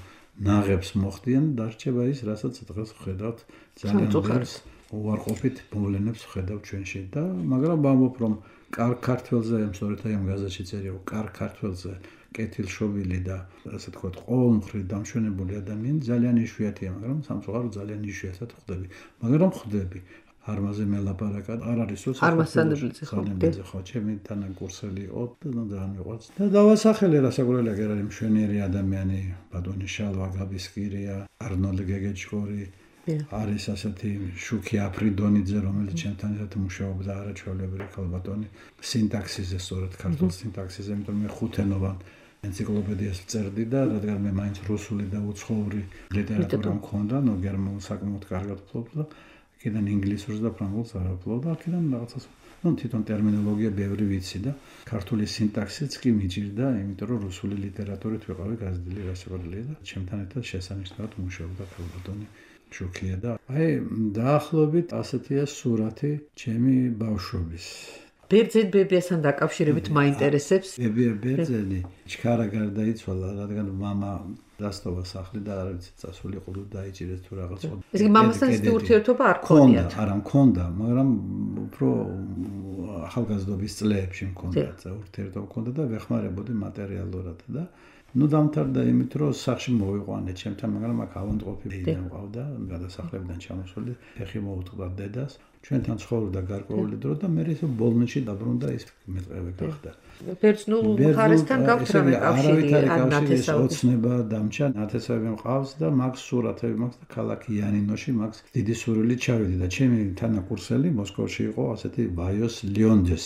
ნაღებს მოხდიან დარჩება ის რასაც დღეს ხედავთ ძალიან ბევრს უარყოფით მოვლენებს ხედავ ჩვენში და მაგრამ ვამბობ რომ კარგ ქართველზე, სწორედ აი ამ გაზეთში წერია, კარგ ქართველზე კეთილშობილი და ასე თქვათ, ყოველმხრივ დამშვენებული ადამიანი ძალიან იშვიათია, მაგრამ სამწუხაროდ ძალიან იშვიათად ხვდები. მაგრამ ხვდები. არმაზე მელაპარაკა არ არის სულ არმასანებლიძე ხო, ჩემი თანაკურსელი იყო და ძალიან მიყვარს. და დავასახელე რასაკვირველია, კი არის მშვენიერი ადამიანი, ბატონი შალვა გაბისკირია, არნოლდ გეგეჭკორი არის ასეთი შუქი აფრიდონიძე, რომელიც ჩემთან ერთად მუშაობდა არაჩვეულებრივი ქალბატონი სინტაქსიზე, სწორედ ქართულ სინტაქსიზე, იმიტომ მე ხუთენოვან ენციკლოპედიას ვწერდი და რადგან მე მაინც რუსული და უცხოური ლიტერატურა მქონდა, გერმანულ საკმაოდ კარგად ვფლობდი და აქედან ინგლისურს და ფრანგულს არ ვფლობდი, აქედან რაღაცას თვითონ ტერმინოლოგია ბევრი ვიცი და ქართული სინტაქსიც კი მიჭირდა, იმიტომ რომ რუსული ლიტერატურით ვიყავი გაზრდილი რასაკვირველია და ჩემთან ერთად შესანიშნავად მუშაობდა ქალბატონი შუქია და აი დაახლოებით ასეთია სურათი ჩემი ბავშვობის. ბერძენ ბებიასთან დაკავშირებით მაინტერესებს. ბერძენი ჩქარა გარდაიცვალა, რადგან მამა დასტოვა სახლი და არ ვიცი წასულიყო და დაიჭირეს თუ რაღაც. ესე იგი მამასთან ისეთი ურთიერთობა არ ქონიათ. არა მქონდა, მაგრამ უფრო ახალგაზრდობის წლებში მქონდა ურთიერთობა მქონდა და ვეხმარებოდი მატერიალურად და დამთავრდა იმით, რომ სახში მოვიყვანე ჩემთან, მაგრამ აქ ავანტყოფი დედა მყავდა, გადასახლებიდან ჩამოსული, ფეხი მოუტყდა დედას. ჩვენთან ცხოვრობდა გარკვეული დრო და მე ისე ბოლნისში დაბრუნდა ის მეტყევე გახდა. ბერძნულ მხარესთან გაქვთ რა კავშირი ან ნათესაობები? ოცნება დამჭა, ნათესაობები მყავს და მაქვს სურათები მაქვს და ქალაქ იანინოში მაქვს დიდი სურვილი ჩავიდი და ჩემი თანაკურსელი მოსკოვში იყო ასეთი ვაიოს ლიონდეს,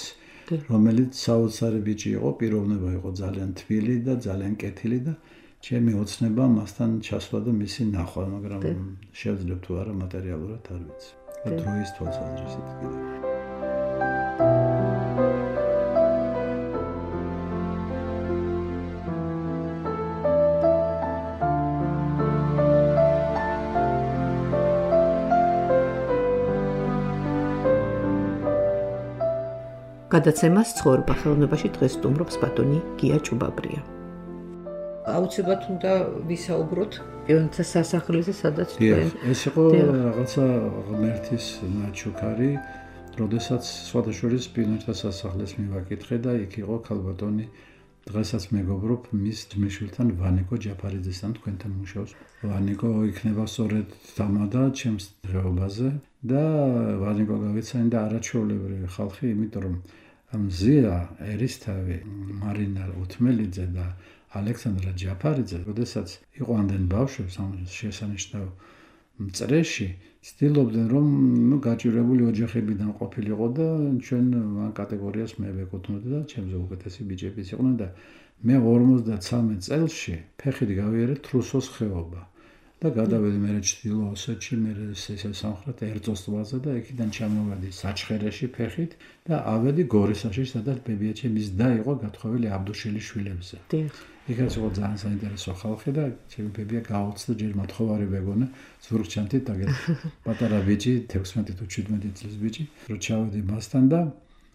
რომელიც საოცარი ბიჭი იყო, პიროვნება იყო ძალიან თბილი და ძალიან კეთილი და ჩემი ოცნება მასთან ჩასვლა და მისი ნახვა, მაგრამ შევძლებ თუ არა მატერიალურად არ ვიცი. დროის თვალსაზრისით კიდე. გადაცემას ცხოვრება ხელოვნებაში დღეს სტუმრობს ბატონი გია ჭუბაბრია. აუცილებლად უნდა ვისაუბროთ პიონერთა სასახლეზე, სადაც თქვენ ეს იყო რაღაცა ღმერთის ნაჩუქარი, როდესაც სხვადასხვა პიონერთა სასახლეს მივაკითხე და იქ იყო ქალბატონი, დღესაც მეგობრობ მის ძმისშვილთან ვანიკო ჯაფარიძესთან, თქვენთან მუშაობს. ვანიკო იქნება სწორედ დამადა ჩემს დღეობაზე და ვანიკო გავიცანი და არაჩვეულებრივი ხალხი, იმიტომ რომ მზია ერისთავი, მარინა უთმელიძე და ალექსანდრა ჯაფარიძე, როდესაც იყვანდნენ ბავშვებს ამ შესანიშნავ წრეში, ცდილობდნენ რომ გაჭირებული ოჯახებიდან ყოფილიყო და ჩვენ ამ კატეგორიას მე ვეკუთვნოდი და ჩემზე უკეთესი ბიჭებიც იყვნენ და მე 53 წელში ფეხით გავიარე თრუსოს ხეობა და გადავედი მე ჩრდილო ოსეთში, მე ესე სამხრეთ ერწოს ტბაზე და იქიდან ჩამოვედი საჩხერეში ფეხით და ავედი გორისაში, სადაც ბებია ჩემის და იყო გათხოვილი აბდუშელის შვილებზე. იქაც იყო ძალიან საინტერესო ხალხი და ჩემი ბებია გაუცდა ჯერ მოთხოვარი ვეგონა ზურგჩანთით და პატარა ბიჭი 16 თუ 17 წლის ბიჭი რო ჩავედი მასთან და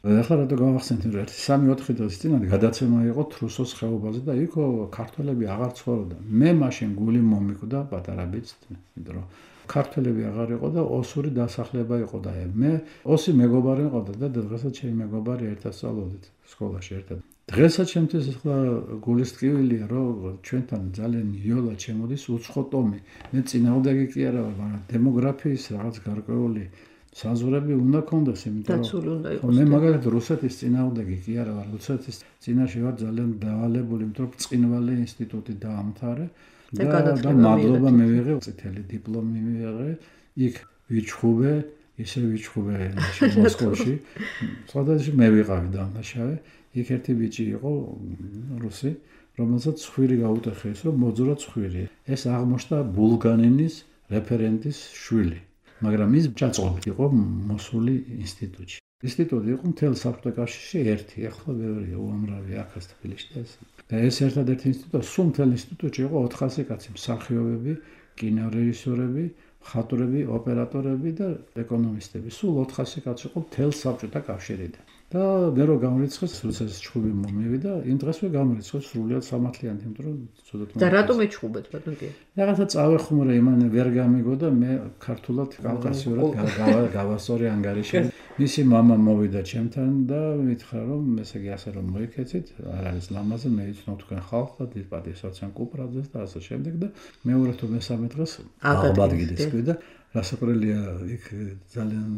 ახლა რატო გავახსენეთ რომ 3-4 დღის წინ გადაცემა იყო თრუსოს ხეობაზე და იქ ქართველები აღარ ცხოვრობდნენ. მე მაშინ გული მომიკვდა პატარა ბიჭს, იმიტომ რომ ქართველები აღარ იყო და ოსური დასახლება იყო და მე ოსი მეგობარი მყავდა და დღესაც ჩემი მეგობარი ერთად სწავლობდით სკოლაში ერთად. დღესაც ჩემთვის ახლა გულის ტკივილია რომ ჩვენთან ძალიან იოლად შემოდის უცხო ტომი. მე წინააღმდეგი კი არა ვარ, მაგრამ დემოგრაფიის რაღაც გარკვეული საზღვრები უნდა კონდეს, იმიტომ რომ მე მაგალითად რუსეთის წინააღმდეგი კი არა ვარ, რუსეთის წინაშე ვარ ძალიან დავალებული, იმიტომ რომ ბრწყინვალე ინსტიტუტი დაამთავრე და მადლობა მივიღე, წითელი დიპლომი მივიღე, იქ ვიჩხუბე, ისე ვიჩხუბე მოსკოვში. სხვადასხვა მე ვიყავი დამნაშავე. იქ ერთი ბიჭი იყო რუსი, რომელსაც ცხვირი გაუტეხეს, რომ მოძრა ცხვირი. ეს აღმოჩნდა ბულგანინის რეფერენტის შვილი, მაგრამ ის ჩაწყობილი იყო მოსული ინსტიტუტში. ინსტიტუტი იყო მთელ საბჭოთა კავშირში ერთი, ახლა ბევრია უამრავი აქაც თბილისში და ეს. და ეს ერთადერთი ინსტიტუტი, სულ მთელ ინსტიტუტში იყო 400 კაცი, მსახიობები, კინორეჟისორები, მხატვრები, ოპერატორები და ეკონომისტები. სულ 400 კაცი იყო მთელ საბჭოთა კავშირიდან. და მე რო გამრიცხეს, რუსეთის ჩხუბი მომივიდა, იმ დღესვე გამრიცხეს სრულიად სამართლიანი, იმიტომ რომ ცუდად და რატომ ეჩხუბეთ ბატონო? რაღაცა წავეხუმრე იმან ვერ გამიგო და მე ქართულად კავკასიურად გავასწორი ანგარიში. მისი მამა მოვიდა ჩემთან და მითხრა რომ ესე იგი ასე რომ მოიქეცით, არ არის ლამაზი, მე იცნობ თქვენ ხალხს და დიპატისაციან კუპრაძეს და ასე შემდეგ და მეორე თუ მესამე დღეს აღბადგიდეს კი და რასაკვირველია, იქ ძალიან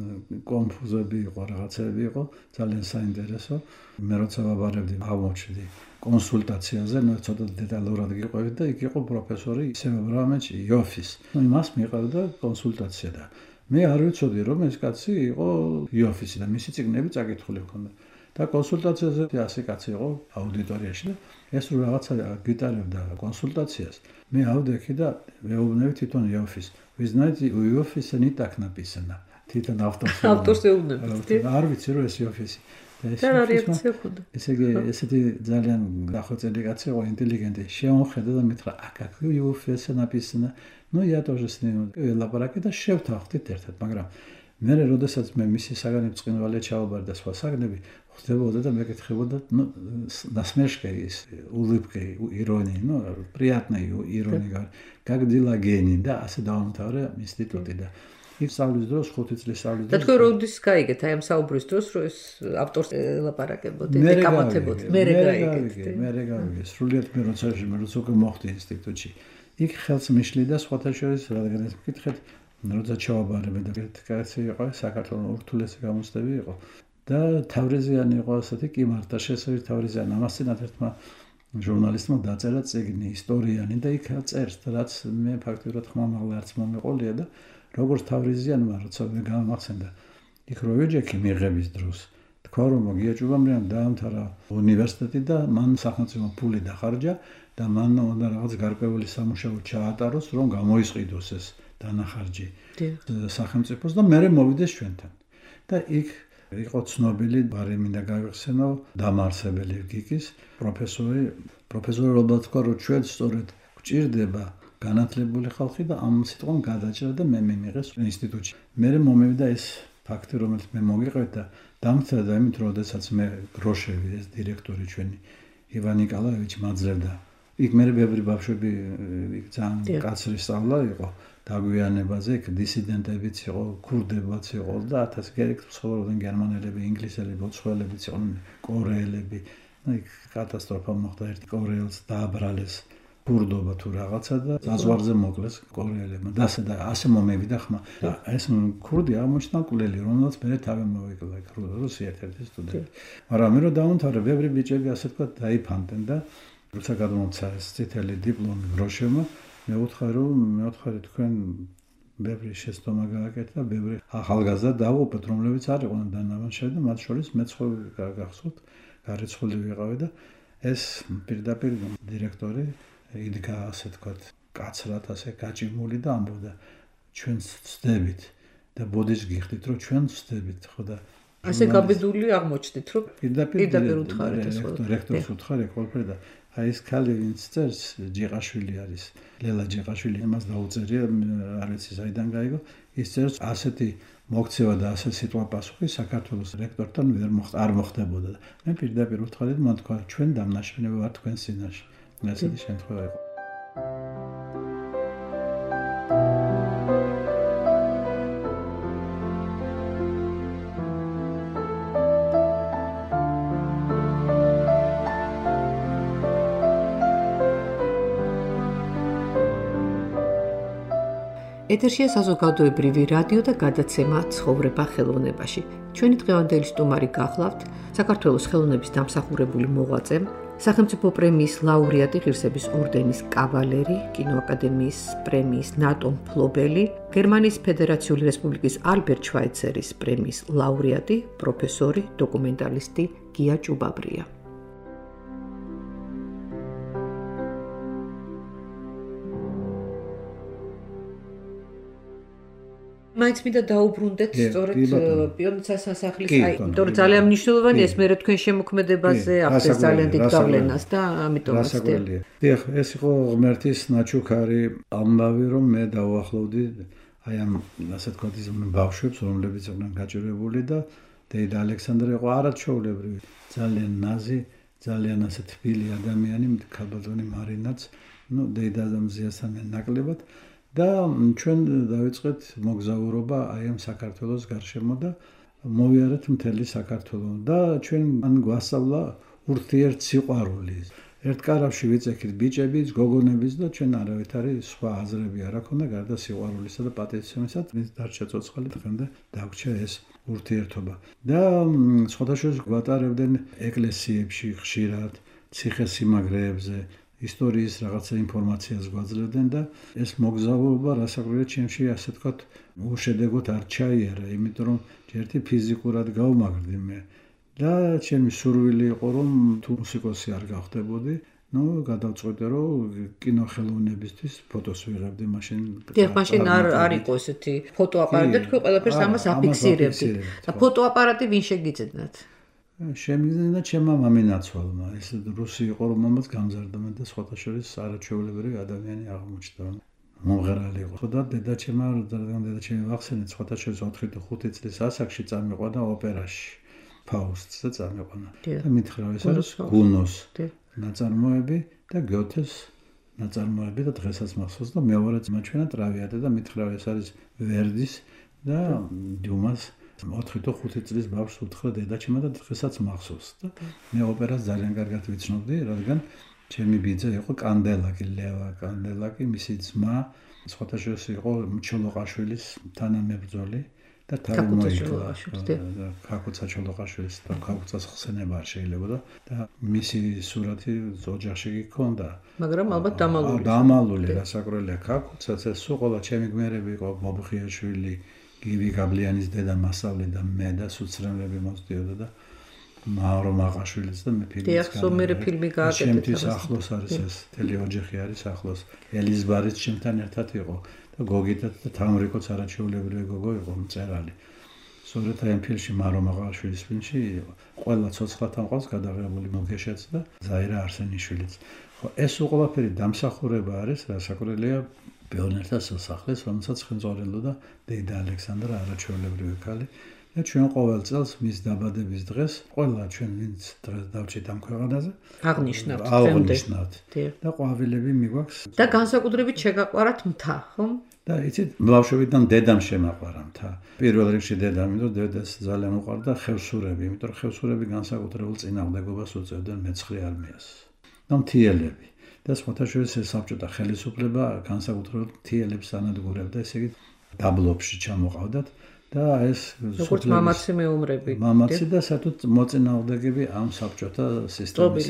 კონფუზები იყო, რაღაცები იყო, ძალიან საინტერესო. მე როცა ვაბარებდი, აღმოჩნდი კონსულტაციაზე, ნუ ცოტა დეტალურად გიყვებით და იქ იყო პროფესორი ისევ აბრამოვიჩ იოფის. ნუ იმას მიყავდა კონსულტაცია და მე არ ვიცოდი რომ ეს კაცი იყო იოფისი და მისი წიგნები წაკითხული ჰქონდა. და კონსულტაციაზე 100 კაცი იყო აუდიტორიაში და ეს რო რაღაცა გიტარებდა კონსულტაციას. მე ავდექი და მეუბნები თვითონ იოფის. Вы знаете, у Иофиса не так написано. თვითონ ავტორს ეუბნებით. არ ვიცი რომ ეს იოფისი. და რა რეაქცია ჰქონდა? ესე იგი, ესეთი ძალიან დახვეწილი კაცი იყო, ინტელიგენტი. შეამოხედა და მითხრა, а как у Иофиса написано? Ну, я тоже с ним лаборатория და შევთანხმდით ერთად, მაგრამ მე როდესაც მე მისი საგანი ბრწყინვალე ჩავაბარ და სხვა საგნები ხდებოდა და მეკითხებოდა насмешка ის улыбка ирония приятная ирония как дела гений და ასე დავამთავრე ინსტიტუტი და ის სწავლის დროს 5 წლის სწავლის და თქვენ როდის გაიგეთ აი ამ საუბრის დროს რომ ეს ავტორს ელაპარაკებოდი და კამათებოდი მე გავიგე სრულიად მე როცა უკვე მოხდი ინსტიტუტში იქ ხელს მიშლი და სხვათა შორის რადგან ეს მკითხეთ როცა ჩავაბარებე და კაცი იყო საქართველოს ურთულესი გამოცდები იყო და თავრიზიანი იყო ასეთი კი მარტა შესაძლოა თავრიზიანი ამასთანავე ერთმა ჟურნალისტმა დაწერა წიგნი ისტორიანი და იქ წერს რაც მე ფაქტობრივად ხმამაღლა არც მომეყოლია და როგორც თავრიზიანმა როცა მე გამახსენდა იქ რო ვეჯექი მიღების დროს თქვა რომ გიაჭუბამრიან დაამთავრა უნივერსიტეტი და მან სახელმწიფო ფული დახარჯა და მან უნდა რაღაც გარკვეული სამუშაო ჩაატაროს რომ გამოისყიდოს ეს დანახარჯი სახელმწიფოს და მე მოვიდეს ჩვენთან და იქ იყო ცნობილი ბარი მინდა გავიხსენო დამაარსებელი გიკის პროფესორი რობერტ თქვა რომ ჩვენ სწორედ გვჭირდება განათლებული ხალხი და ამ სიტყვამ გადაჭრა და მე მიმიღეს ინსტიტუტში მე მომევიდა ეს ფაქტი რომელიც მე მოგიყვეთ და დამცდა იმით რომ შესაძაც მე გროშევი ეს დირექტორი ჩვენი ივან ნიკოლაევიჩი მაძლევდა იქ მე ბევრი ბავშვები ძალიან კაცრი სწავლა იყო დაგვიანებაზე იქ დისიდენტებიც იყო ქურდებიც იყო და 1000 გერექს ცხოვრობდნენ გერმანელები ინგლისელები ოცხოველებიც იყვნენ კორეელები იქ კატასტროფა მოხდა ერთი კორეელს დააბრალეს ქურდობა თუ რაღაცა და ზაზვარზე მოკლეს კორეელებმა და ასე მომევიდა ხმა და ეს ქურდი აღმოჩნდა კვლელი რომელსაც მე თავი მოვიკლა იქ რუსი ერთ-ერთი სტუდენტი მაგრამ მე რომ დავამთავრე ბევრი ბიჭები ასე თქვა დაიფანტენ და როცა გადმომცა ეს წითელი დიპლომი გროშევმა მე ვუთხარი თქვენ ბევრი შეცდომა გააკეთეთ და ბევრი ახალგაზრდა დავუყოთ რომლებიც არ იყვნენ დანამარხები და მათ შორის მეც ხო გახსოვთ გარეცხული ვიყავი და ეს პირდაპირ დირექტორი იდგა ასე თქვათ კაცრად ასე გაჭიმული და ამბობდა ჩვენ ვწდებით და ბოდის გიხდით რომ ჩვენ ვწდებით ხო და ასე გაბედული აღმოჩნდით რომ პირდაპირ უთხარით ეს რექტორს უთხარი ყველაფერი და აი ეს ქალი ვინც წერს ჯიყაშვილი არის ლელა ჯიყაშვილი იმას დაუწერია არის საიდან გაიგო ის წერს ასეთი მოქცევა და ასე სიტყვა პასუხი საქართველოს რექტორთან არ მოხდებოდა და მე პირდაპირ უთხარი და მან თქვა ჩვენ დამნაშავე ვართ თქვენ წინაშე ასეთი შემთხვევა იყო ეთერშია საზოგადოებრივი რადიო და გადაცემა ცხოვრება ხელოვნებაში. ჩვენი დღევანდელი სტუმარი გახლავთ საქართველოს ხელოვნების დამსახურებული მოღვაწე, სახელმწიფო პრემიის ლაურეატი, ღირსების ორდენის კავალერი, კინოაკადემიის პრემიის ნატო მფლობელი, გერმანიის ფედერაციული რესპუბლიკის ალბერტ შვაიცერის პრემიის ლაურეატი, პროფესორი, დოკუმენტალისტი გია ჭუბაბრია. მაინც მინდა დაუბრუნდეთ სწორედ პიონერთა სასახლის იმიტომ ძალიან მნიშვნელოვანია ეს მე თქვენ შემოქმედებაზე ახდენს ძალიან დიდ გავლენას და ამიტომ ასწავლია. დიახ, ეს იყო ღმერთის ნაჩუქარი ამბავი რომ მე დავახლოვდი აი ამ ასე თქვა ის ბავშვებს რომლებიც იყვნენ გაჭირებული და დეიდა ალექსანდრე იყო არაჩვეულებრივი ძალიან ნაზი ძალიან ასე თბილი ადამიანი ქალბატონი მარინაც დეიდა მზიასთან ნაკლებად და ჩვენ დავიწყეთ მოგზაურობა აი ამ საქართველოს გარშემო და მოვიარეთ მთელი საქართველო და ჩვენ ან გვასწავლა ურთიერთსიყვარული. ერთ კარავში ვიწექით ბიჭებიც, გოგონებიც და ჩვენ არავითარი სხვა აზრები არ აქვს გარდა სიყვარულისა და პატივისცემისა, მის დარჩა ცოცხალი დღემდე დაგვრჩა ეს ურთიერთობა. და სხვადასხვა გვატარებდნენ ეკლესიებში ხშირად, ციხესიმაგრეებზე ისტორიის რაღაცა ინფორმაციას გვაძლევდნენ და ეს მოგზაურობა რასაკვირველია ჩემში ასე თქვათ უშედეგოდ არ ჩაიარა, იმიტომ რომ ერთი ფიზიკურად გავმაგრდი მე და ჩემი სურვილი იყო რომ თუ მუსიკოსი არ გავხდებოდი, გადავწყვეტე რომ კინოხელოვნებისთვის ფოტოს ვიღებდი მაშინ. დიახ, მაშინ არ იყო ესეთი ფოტოაპარატი და თქვენ ყველაფერს ამას აფიქსირებდით. და ფოტოაპარატი ვინ შეგიძლიათ? შემიძლია ჩემმა მამინაცვალმა, ეს რუსი იყო რომ მომაც გამზარდა და სხვათა შორის არაჩვეულებრივი ადამიანი აღმოჩნდა. მომღერალი იყო და დედაჩემმა დედაჩემი ვახსენეთ სხვათა შორის 4-5 წლის ასაკში წამიყვანა ოპერაში ფაუსტს და წამიყვანა და მითხრა ეს არის გუნოს ნაწარმოები და გიოთეს ნაწარმოები და დღესაც მახსოვს და მეორე ძმა ჩვენა ტრავიატა და მითხრა ეს არის ვერდის და დიუმას 4-5 წლის ბავშვს უთხრა დედაჩემმა და დღესაც მახსოვს და მე ოპერას ძალიან კარგად ვიცნობდი რადგან ჩემი ბიძა იყო კანდელაკი ლევა კანდელაკი მისი ძმა სხვათა შორის იყო ჩოლოყაშვილის თანამებრძოლი და თავი მოიკლა ქაკუცა ჩოლოყაშვილის და ქაკუცას ხსენება არ შეიძლება და მისი სურათი ოჯახში გქონდა მაგრამ ალბათ დამალული რასაკურველია ქაკუცაც ეს სულ ყველა ჩემი გმერები იყო ბობხიაშვილი გივი გაბლიანის დედა მასავლე და მე და სუცრემლები მოსდიოდა და მარო მაყაშვილიც და მე ფილმი გააკეთეთ ჩემთვის ახლოს არის ეს თელი ოჯახი არის ახლოს ელიზბარიც ჩემთან ერთად იყო და გოგიტა და თამრიკოც არაჩვეულებრივი გოგო იყო მწერალი სწორედ ამ ფილმში მარო მაყაშვილის ფილმში ყველა ცოცხლთან ყავს გადაღებული მოგეშეც და ზაირა არსენიშვილიც ხო ეს ყველაფერი დამსახურება არის რასაკურველია ბეონერთა სასახლეს რომელსაც ხელმძღვანელობდა და დედა ალექსანდრა არაჩვეულებრივი ქალი და ჩვენ ყოველ წელს მის დაბადების დღეს ყველა ჩვენ ვინც დღეს დავჭით ამ ქვეყანაზე აღნიშნავთ და ყვავილები მიგვაქვს და განსაკუთრებით შეგაყვარათ მთა ხო და იცით ბავშვობიდან დედამ შემაყვარა მთა პირველ რიგში დედამ იმიტომ დედას ძალიან უყვარდა ხევსურები იმიტომ რომ ხევსურები განსაკუთრებულ წინააღმდეგობას უწევდნენ მეცხრე არმიას და მთიელები და სხვათა შორის საბჭოთა ხელისუფლება განსაკუთრებულად მთიელებს ანადგურებდა ესე იგი დაბლობში ჩამოყავდათ და ეს როგორც მამაცი მეომრები მამაცი და სათუთ მოწინააღმდეგები ამ საბჭოთა სისტემის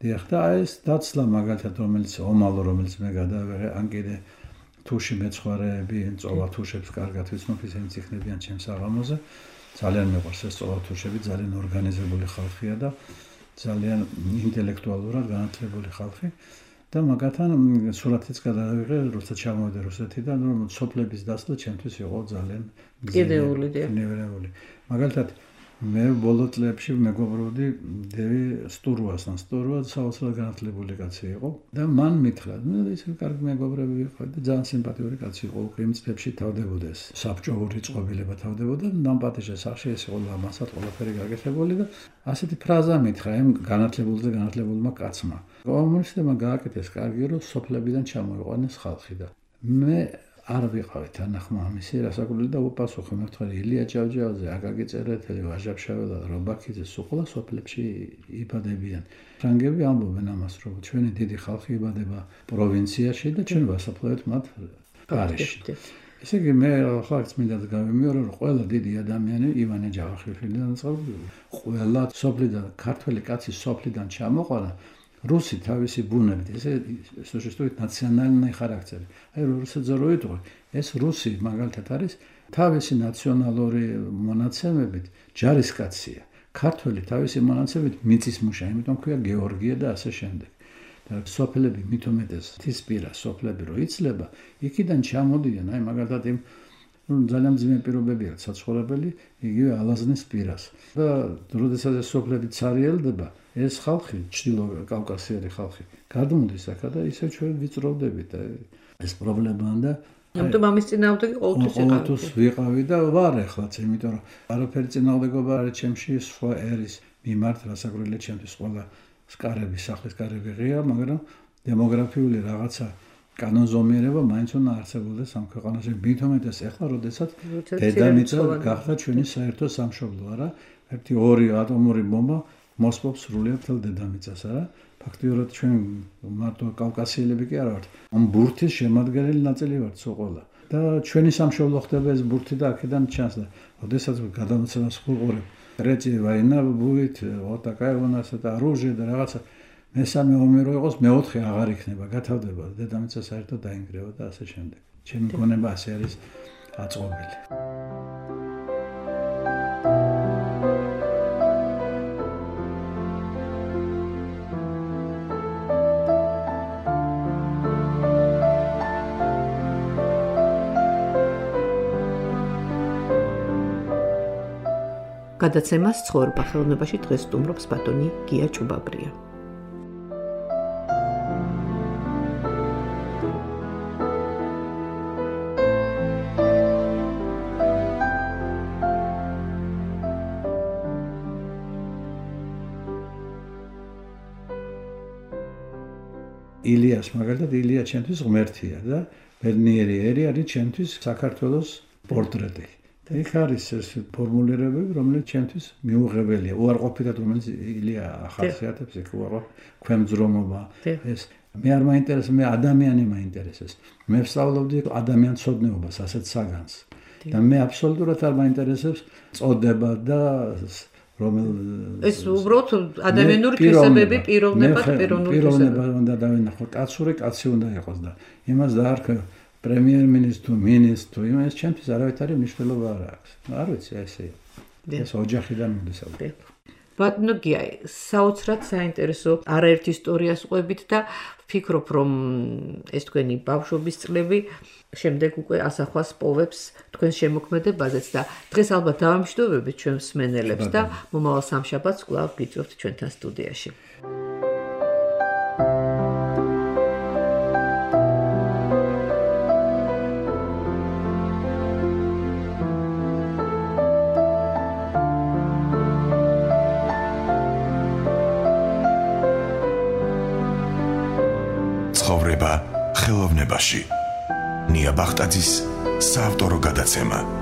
დიახ და ეს დაცლა მაგალითად რომელიც ომალო რომელიც მე გადავიღე ან კიდე თუში მეცხვარეები წოვა თუშებს კარგად ვიცნობ ისინი ციხნებიან ჩემს აღამოზე ძალიან მეყვარს ეს წოვა თუშები ძალიან ორგანიზებული ხალხია და ძალიან ინტელექტუალურად განათლებული ხალხი და მაგათთან სურათიც გადავიღე როცა ჩამოვიდა რუსეთიდან რომ სოფლების დასლა ჩემთვის იყო ძალიან გზნეული მაგალითად მე ბოლო წლებში მეგობრობდი დევი სტურვასთან სტურვა საოცრად განათლებული კაცი იყო და მან მითხრა ისე კარგი მეგობრები ვიყავით და ძალიან სიმპათიური კაცი იყო უკვე იმ წლებში თავდებოდეს საბჭოური წყობილება თავდებოდა ნამპატიჟე სახში ეს იყო ლამასად ყველაფერი გაკეთებული და ასეთი ფრაზა მითხრა იმ განათლებულმა კაცმა კომუნისტებმა გააკეთეს კარგი რომ სოფლებიდან ჩამოიყვანეს ხალხი და მე არ ვიყავი თანახმამისი რასაკურველი და უპასუხე მე ვთქვი ილია ჭავჭავაძე აკაკი წერეთელი ვაჟა-ფშაველა რობაქიძე სულ ყველა სოფლებში იბადებიან ფრანგები ამბობენ ამას რომ ჩვენი დიდი ხალხი იბადება პროვინციაში და ჩვენ ვასაფლავებთ მათ პარიზში ესე იგი მე ხალხს მინდა გავიმეორო რომ ყველა დიდი ადამიანი ივანე ჯავახიშვილიდან წყობილი ყველა სოფლიდან ქართველი კაცი სოფლიდან ჩამოყარა რუსი თავისი ბუნებით ესე სოციალისტური ნაციონალურ ხარაქტერი აი რუსეთზე რო იტყვი ეს რუსი მაგალითად არის თავისი ნაციონალური მონაცემებით ჯარისკაცია ქართველი თავისი მონაცემებით მიწისმუშა იმიტომ ქვია გეორგია და ასე შემდეგ და სოფლები მithometes თისპირა სოფლები რო იცლება იქიდან ჩამოდიან აი მაგალითად იმ ძალიან ძიმე პირობებია საცხოვრებელი იგივე ალაზნის პირას და როდესაც ეს სოფლები ცარიელდება ეს ხალხი ჩრდილო კავკასიელი ხალხი გადმოდის აქა და ისე ჩვენ ვიწროვდებით ეს პრობლემაა და ამიტომ ამის წინააღმდეგი ყოველთვის ვიყავი და ვარ ახლაც იმიტომ რომ არაფერი წინააღმდეგობა არ ჩემში სხვა ერის მიმართ რასაკურველია ჩემთვის ყველა სკარები სახლის კარები ღია მაგრამ დემოგრაფიული რაღაცა კანონზომიერება მაინც უნდა არსებობდეს ამ ქვეყანაში მithometes ეხლა როდესაც დედამიწა გახდა ჩვენი საერთო სამშობლო არა ერთი ორი ატომური ბომბა მოსპობს სრულიად მთელ დედამიწას არა ფაქტიურად ჩვენ მარტო კავკასიელები კი არა ვართ ამ ბურთის შემადგენელი ნაწილი ვართ სოყოლა და ჩვენი სამშობლო ხდება ეს ბურთი და აქედან ჩანს და როდესაც გადამოცემას ვუყურებ რეწი ვაინა ბუით ოტაკაი უნასა და რუჟე და რაღაცა მესამე ომი რო იყოს მეოთხე აღარ იქნება გათავდება დედამიწა საერთოდ დაინგრევა და ასე შემდეგ ჩემი გონება ასე არის აწყობილი გადაცემას ცხოვრება ხელოვნებაში დღეს სტუმრობს ბატონი გია ჭუბაბრია. ილიას მაგალითად ილია ჩემთვის ღმერთია და ბედნიერი ერი არის ჩემთვის საქართველოს პორტრეტი. და იქ არის ეს ფორმულირებები, რომელიც ჩემთვის მიუღებელია. უარყოფითად რომელიც ილია ახასიათებს, იქ ქვემძრომობა ეს მე არ მაინტერესებს, მე ადამიანი მაინტერესებს. მე ვსწავლობდი ადამიანცოდნეობას, ასეთ საგანს. და მე აბსოლუტურად არ მაინტერესებს წოდება და ეს უბრალოდ ადამიანური თვისებები პიროვნება უნდა დავინახო. კაცური კაცი უნდა იყოს და იმას დაარქვა პრემიერ-მინისტრ თუ მინისტრ თუ იმას ჩემთვის არავითარი მნიშვნელობა არ აქვს. არ ვიცი ესე. ეს ოჯახიდან მოდის ალბათ. ბატონო გიაი, საოცრად საინტერესო არაერთ ისტორიას ყვებით და ვფიქრობ, რომ ეს თქვენი ბავშვობის წლები შემდეგ უკვე ასახვას პოვებს თქვენ შემოქმედებაზეც და დღეს ალბათ დავამშვიდობებით ჩვენ მსმენელებს და მომავალ სამშაბათს კვლავ გიწევთ ჩვენთან სტუდიაში. ცხოვრება ხელოვნებაში. ნია ბახტაძის საავტორო გადაცემა.